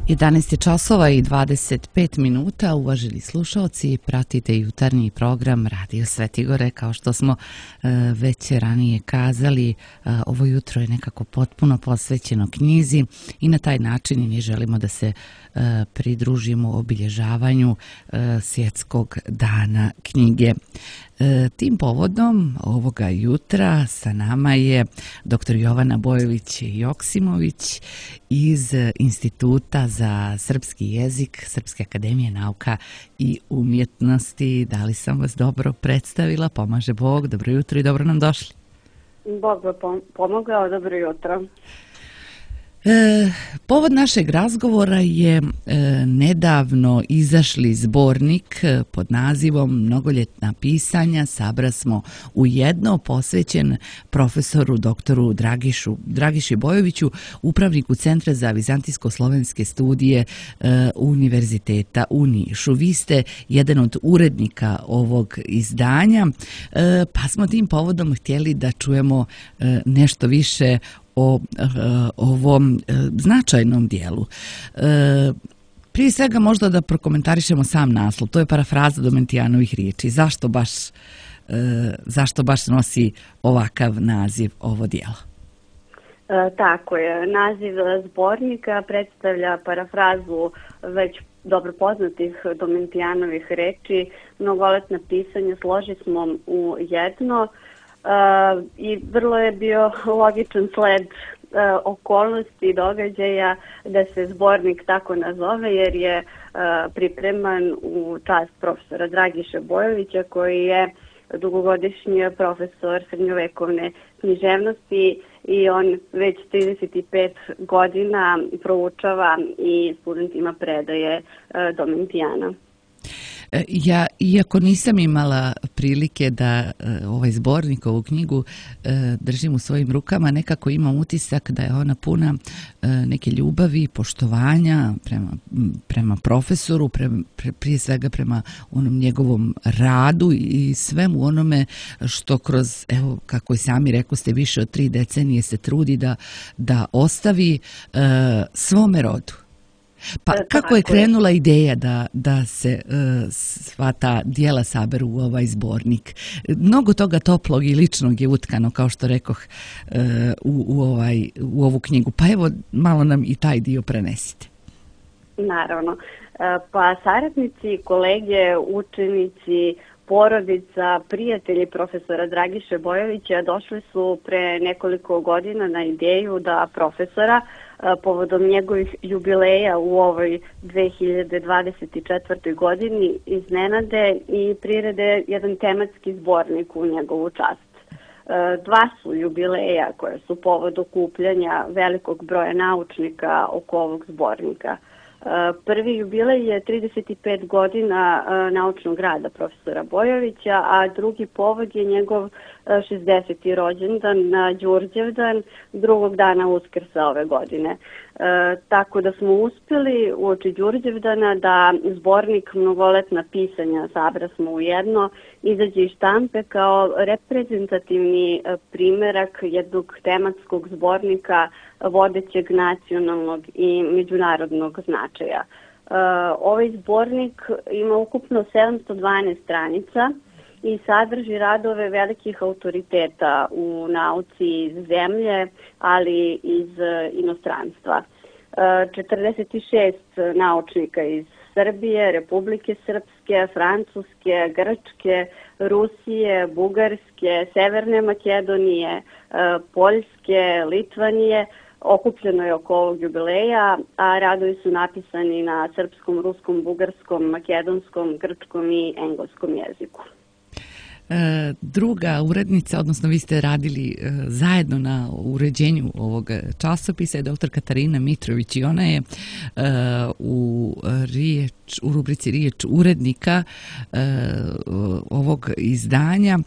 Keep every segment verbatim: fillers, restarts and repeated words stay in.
jedanaest je časova i dvadeset pet minuta, uvaženi slušalci, pratite jutarnji program Radio Svetigore. Kao što smo e, već ranije kazali, e, ovo jutro je nekako potpuno posvećeno knjizi i na taj način mi želimo da se e, pridružimo obilježavanju e, Svjetskog dana knjige. E, tim povodom ovoga jutra sa nama je doktor Jovana Bojović-Joksimović iz Instituta za srpski jezik Srpske akademije nauka i umjetnosti. Da li sam vas dobro predstavila? Pomaže Bog. Dobro jutro i dobro nam došli. Bog vam pomogao. Dobro jutro. E, povod našeg razgovora je e, nedavno izašli zbornik pod nazivom Mnogoljetna pisanja. Sabra smo u jedno, posvećen profesoru doktoru Dragišu, Dragiši Bojoviću, upravniku Centra za vizantijsko-slovenske studije e, Univerziteta u Nišu. Vi ste jedan od urednika ovog izdanja, e, pa smo tim povodom htjeli da čujemo e, nešto više o e, ovom e, značajnom dijelu. E, prije svega možda da prokomentarišemo sam naslov. To je parafraza Domentijanovih riječi. Zašto baš, e, zašto baš nosi ovakav naziv ovo dijelo? E, tako je. Naziv zbornika predstavlja parafrazu već dobro poznatih Domentijanovih riječi. Mnogoletna pisanja složi smo u jedno. Uh, i vrlo je bio logičan sled uh, okolnosti i događaja da se zbornik tako nazove, jer je uh, pripreman u čast profesora Dragiše Bojovića, koji je dugogodišnji profesor srednjovekovne književnosti i on već trideset pet godina proučava i studentima predaje uh, Domentijana. Ja, iako nisam imala prilike da ovaj zbornik, ovu knjigu držim u svojim rukama, nekako imam utisak da je ona puna neke ljubavi i poštovanja prema, prema profesoru, pre, pre, prije svega prema onom njegovom radu i svemu onome što kroz, evo, kako i sami rekao ste, više od tri decenije se trudi da, da ostavi uh, svome rodu. Pa kako je krenula ideja da, da se uh, sva ta dijela saberu u ovaj zbornik? Mnogo toga toplog i ličnog je utkano, kao što rekoh, uh, u, u, ovaj, u ovu knjigu. Pa evo, malo nam i taj dio prenesite. Naravno. Pa saradnici, kolege, učenici, porodica, prijatelji profesora Dragiše Bojovića došli su pre nekoliko godina na ideju da profesora povodom njegovih jubileja u ovoj dve hiljade dvadeset četvrtoj. godini iznenade i prirede jedan tematski zbornik u njegovu čast. Dva su jubileja koje su povod okupljanja velikog broja naučnika oko ovog zbornika. Prvi jubilej je trideset pet godina naučnog rada profesora Bojovića, a drugi povod je njegov šezdeseti rođendan na Đurđevdan, drugog dana Uskrsa ove godine. E, tako da smo uspjeli uoči Đurđevdana da zbornik Mnogoletna pisanja, sabra smo u jedno, izađe iz štampe kao reprezentativni primerak jednog tematskog zbornika vodećeg nacionalnog i međunarodnog značaja. E, ovaj zbornik ima ukupno sedamsto dvanaest stranica i sadrži radove velikih autoriteta u nauci iz zemlje, ali iz inostranstva. četrdeset šest naučnika iz Srbije, Republike Srpske, Francuske, Grčke, Rusije, Bugarske, Severne Makedonije, Poljske, Litvanije okupljeno je oko ovog jubileja, a radovi su napisani na srpskom, ruskom, bugarskom, makedonskom, grčkom i engleskom jeziku. Druga urednica, odnosno vi ste radili zajedno na uređenju ovog časopisa, je doktor Katarina Mitrović i ona je u, riječ, u rubrici Riječ urednika ovog izdanja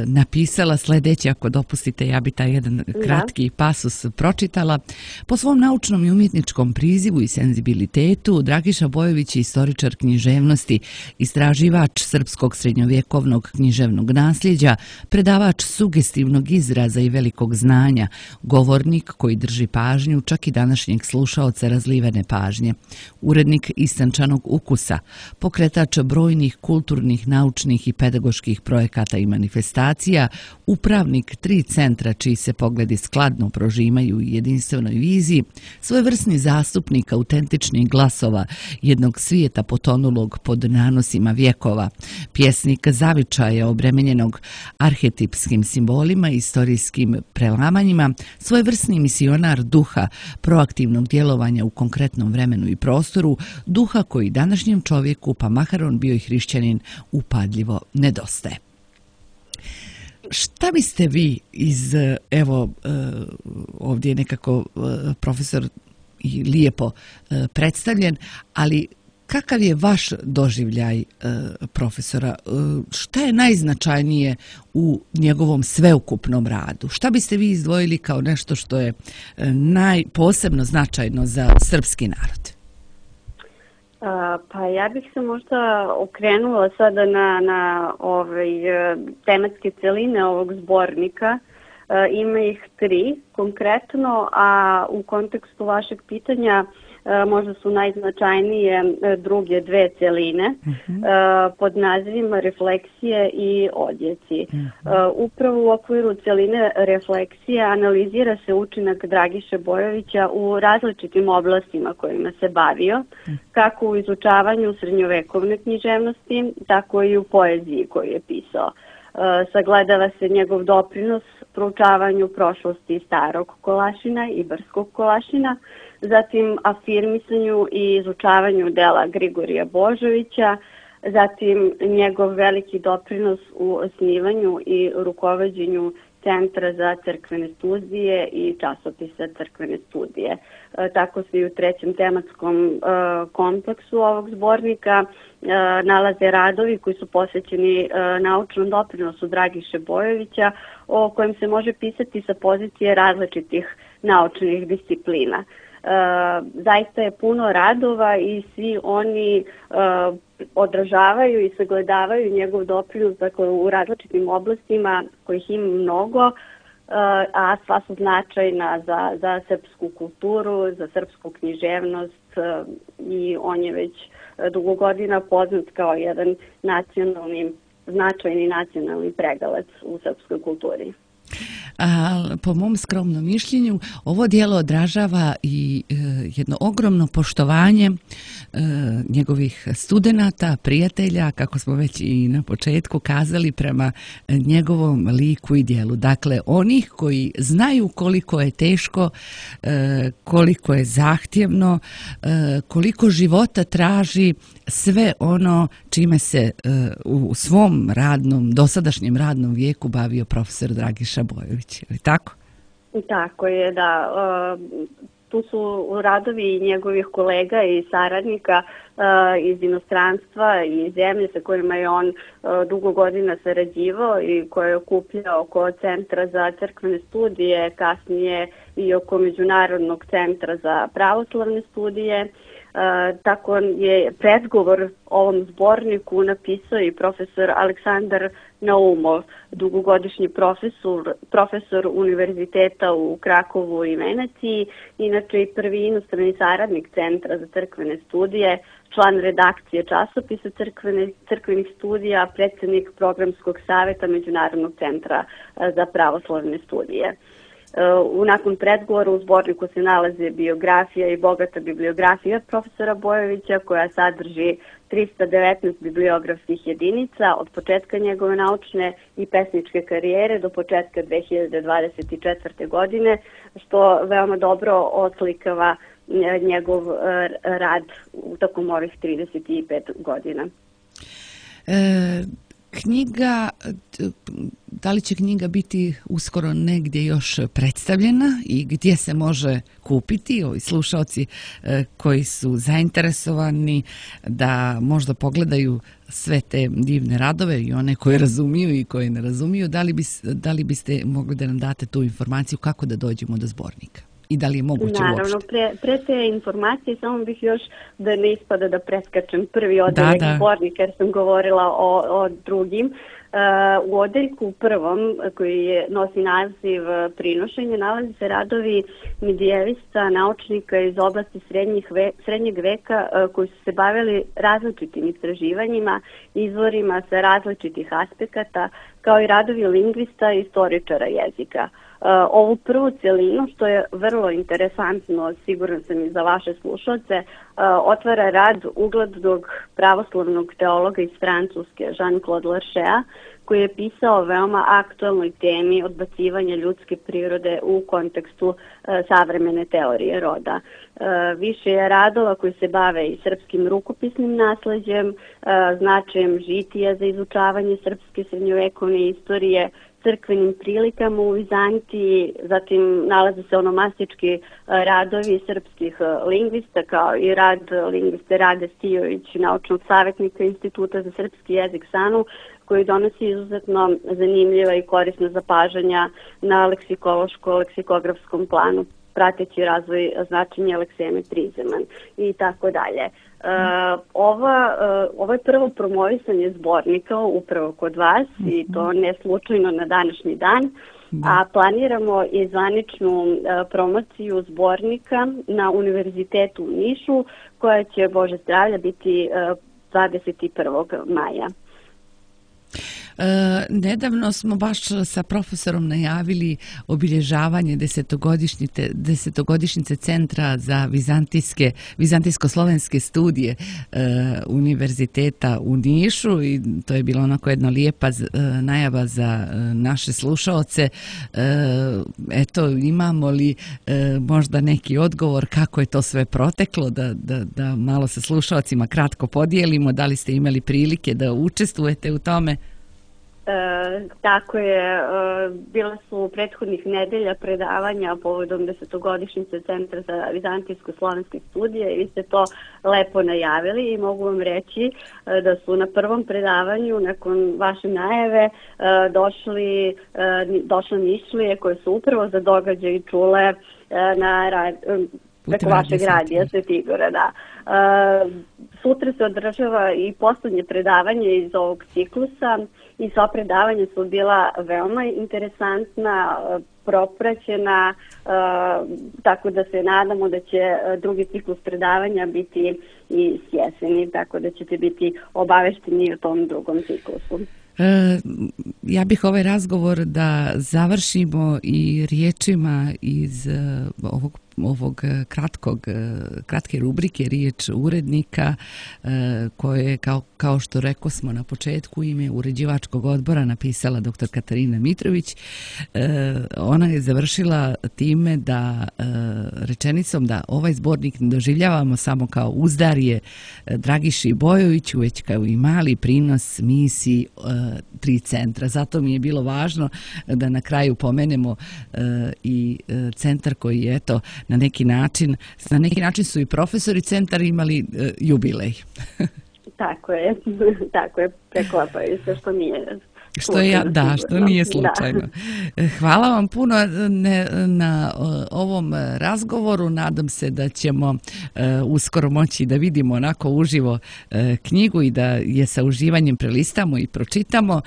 napisala sljedeće, ako dopustite, ja bi taj jedan kratki pasus pročitala. Po svom naučnom i umjetničkom prizivu i senzibilitetu, Dragiša Bojović je istoričar književnosti, istraživač srpskog srednjovjekovnog književnosti, književnog nasljeđa, predavač sugestivnog izraza i velikog znanja, govornik koji drži pažnju čak i današnjeg slušaoca razlivene pažnje, urednik istančanog ukusa, pokretač brojnih kulturnih, naučnih i pedagoških projekata i manifestacija, upravnik tri centra čiji se pogledi skladno prožimaju u jedinstvenoj viziji, svojevrsni zastupnik autentičnih glasova jednog svijeta potonulog pod nanosima vjekova, pjesnik zavičaja obremenjenog arhetipskim simbolima i istorijskim prelamanjima, svojevrsni misionar duha proaktivnog djelovanja u konkretnom vremenu i prostoru, duha koji današnjem čovjeku, pa makar on bio i hrišćanin, upadljivo nedostaje. Šta biste vi iz, evo, ovdje je nekako profesor i lijepo predstavljen, ali kakav je vaš doživljaj profesora? Šta je najznačajnije u njegovom sveukupnom radu? Šta biste vi izdvojili kao nešto što je najposebno značajno za srpski narod? Pa ja bih se možda okrenula sada na, na ovaj, tematske celine ovog zbornika. Ima ih tri konkretno, a u kontekstu vašeg pitanja možda su najznačajnije druge dve celine uh-huh. pod nazivima refleksije i odjeci. Uh-huh. Upravo u okviru celine refleksije analizira se učinak Dragiše Bojovića u različitim oblastima kojima se bavio, uh-huh. kako u izučavanju srednjovekovne književnosti, tako i u poeziji koju je pisao. Uh, sagledava se njegov doprinos proučavanju prošlosti starog Kolašina i Brskog Kolašina, zatim afirmisanju i izučavanju dela Grigorija Božovića, zatim njegov veliki doprinos u osnivanju i rukovođenju Centra za crkvene studije i časopisa Crkvene studije. E, tako se i u trećem tematskom e, kompleksu ovog zbornika e, nalaze radovi koji su posvećeni e, naučnom doprinosu Dragiše Bojovića, o kojem se može pisati sa pozicije različitih naučnih disciplina. Uh, zaista je puno radova i svi oni uh, odražavaju i sagledavaju njegov doprinos, dakle, u različitim oblastima kojih ima mnogo, uh, a sva su značajna za, za srpsku kulturu, za srpsku književnost uh, i on je već dugo godina poznat kao jedan nacionalni, značajni nacionalni pregalac u srpskoj kulturi. A, po mom skromnom mišljenju, ovo djelo odražava i e, jedno ogromno poštovanje e, njegovih studenata, prijatelja, kako smo već i na početku kazali, prema njegovom liku i djelu. Dakle, onih koji znaju koliko je teško, e, koliko je zahtjevno, e, koliko života traži sve ono čime se e, u svom radnom, dosadašnjem radnom vijeku bavio profesor Dragiša Bojović. Je tako? Tako je, da. Tu su radovi njegovih kolega i saradnika iz inostranstva i zemlje sa kojima je on dugo godina sarađivao i koje je okupljao oko Centra za crkvene studije, kasnije i oko Međunarodnog centra za pravoslavne studije. Uh, tako je predgovor ovom zborniku napisao i profesor Aleksandar Naumov, dugogodišnji profesor, profesor univerziteta u Krakovu i Veneciji, inače i prvi inostrani saradnik Centra za crkvene studije, član redakcije časopisa crkvene, crkvenih studija, predsjednik programskog savjeta Međunarodnog centra za pravoslavne studije. U nakon predgovora u zborniku se nalaze biografija i bogata bibliografija profesora Bojovića, koja sadrži trista devetnaest bibliografskih jedinica od početka njegove naučne i pesničke karijere do početka dve hiljade dvadeset četvrte. godine, što veoma dobro oslikava njegov rad u tokom ovih trideset pet godina. E... Knjiga, da li će knjiga biti uskoro negdje još predstavljena i gdje se može kupiti? Ovi slušalci koji su zainteresovani da možda pogledaju sve te divne radove i one koje razumiju i koje ne razumiju, da li, bis, da li biste mogli da nam date tu informaciju kako da dođemo do zbornika? I da li je moguće Naravno, uopšte? Pre, pre te informacije samo bih još da ne ispada da preskačem prvi odjeljak zbornika jer sam govorila o, o drugim. U odeljku prvom, koji je, nosi naziv prinošenje, nalazi se radovi medijevista, naučnika iz oblasti srednjih ve, srednjeg veka koji su se bavili različitim istraživanjima, izvorima sa različitih aspekata, kao i radovi lingvista i istoričara jezika. Ovu prvu celinu, što je vrlo interesantno, siguran sam i za vaše slušalce, otvara rad uglednog pravoslavnog teologa iz Francuske, Jean-Claude Larchea, koji je pisao o veoma aktualnoj temi odbacivanja ljudske prirode u kontekstu savremene teorije roda. Više je radova koji se bave i srpskim rukopisnim nasleđem, značajem žitija za izučavanje srpske srednjovekovne istorije, crkvenim prilikama u Vizantiji, zatim nalaze se onomastički radovi srpskih lingvista, kao i rad lingviste Rade Stijović, naučnog savjetnika Instituta za srpski jezik SANU, koji donosi izuzetno zanimljiva i korisna zapažanja na leksikološko-leksikografskom planu, prateći razvoj značenja lekseme prizeman i tako dalje. Ova, ovo je prvo promovisanje zbornika upravo kod vas i to ne slučajno na današnji dan, a planiramo i zvaničnu promociju zbornika na Univerzitetu u Nišu, koja će, Bože zdravlja, biti dvadeset prvog maja. E, nedavno smo baš sa profesorom najavili obilježavanje desetogodišnjice, desetogodišnjice Centra za vizantijske, vizantijsko-slovenske studije e, Univerziteta u Nišu i to je bilo onako jedna lijepa e, najava za e, naše slušaoce. E, eto, imamo li e, možda neki odgovor kako je to sve proteklo, da, da, da malo sa slušaocima kratko podijelimo, da li ste imali prilike da učestvujete u tome? E, tako je, e, bila su prethodnih nedelja predavanja povodom desetogodišnjice Centra za vizantijsko-slovenske studije i vi ste to lepo najavili i mogu vam reći e, da su na prvom predavanju nakon vaše najave e, došli, e, došle mišlije koje su upravo za događaj čule e, na rad, preko vašeg radija Svetigora, da. E, sutra se održava i poslednje predavanje iz ovog ciklusa i sva predavanja su bila veoma interesantna, propraćena, e, tako da se nadamo da će drugi ciklus predavanja biti i s jeseni, tako da ćete biti obavešteni o tom drugom ciklusu. E, ja bih ovaj razgovor da završimo i riječima iz ovog ovog kratkog, kratke rubrike riječ urednika koje kao, kao što rekao smo na početku ime uređivačkog odbora napisala doktor Katarina Mitrović. Ona je završila time da rečenicom da ovaj zbornik ne doživljavamo samo kao uzdarje Dragiši Bojoviću, već kao i mali prinos misiji tri centra. Zato mi je bilo važno da na kraju pomenemo i centar koji je eto na neki način, na neki način su i profesori centar imali uh, jubilej. Tako je, tako je, preklapaju se što nije Što je, da, što nije slučajno. Da. Hvala vam puno ne, na ovom razgovoru. Nadam se da ćemo uh, uskoro moći da vidimo onako uživo uh, knjigu i da je sa uživanjem prelistamo i pročitamo. Uh,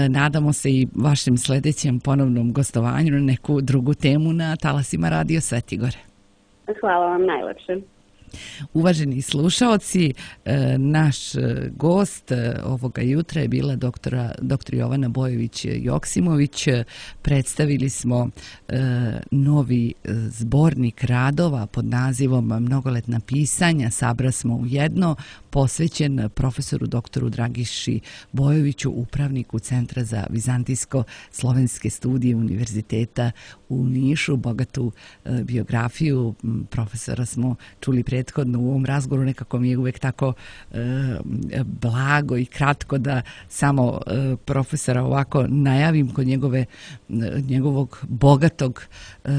nadamo se i vašem sljedećem ponovnom gostovanju na neku drugu temu na talasima Radio Svetigore. Hvala vam najlepše. Uvaženi slušaoci, naš gost ovoga jutra je bila doktora, doktor Jovana Bojović-Joksimović. Predstavili smo novi zbornik radova pod nazivom Mnogoletna pisanja, sabra smo u jedno, posvećen profesoru doktoru Dragiši Bojoviću, upravniku Centra za vizantijsko-slovenske studije Univerziteta u Nišu. Bogatu biografiju profesora smo čuli prethodno u ovom razgovoru, nekako mi je uvek tako e, blago i kratko da samo e, profesora ovako najavim kod njegove, njegovog bogatog, e,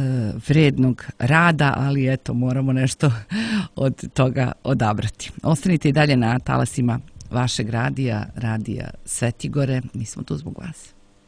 vrednog rada, ali eto, moramo nešto od toga odabrati. Ostanite i dalje na talasima vašeg radija, radija Svetigore. Mi smo tu zbog vas.